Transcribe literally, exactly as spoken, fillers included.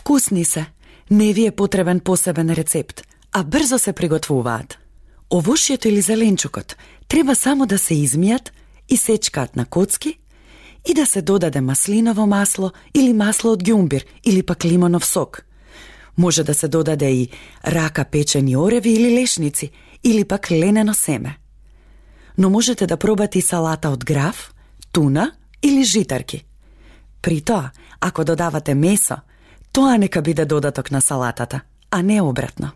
Вкусни се, не ви е потребен посебен рецепт, а брзо се приготвуваат. Овошјето или зеленчукот треба само да се измијат и сечкаат на коцки и да се додаде маслиново масло или масло од ѓумбир или пак лимонов сок. Може да се додаде и рака печени ореви или лешници или пак ленено семе. Но можете да пробате и салата од граф, туна или житарки. При тоа, ако додавате месо, тоа нека биде додаток на салатата, а не обратно.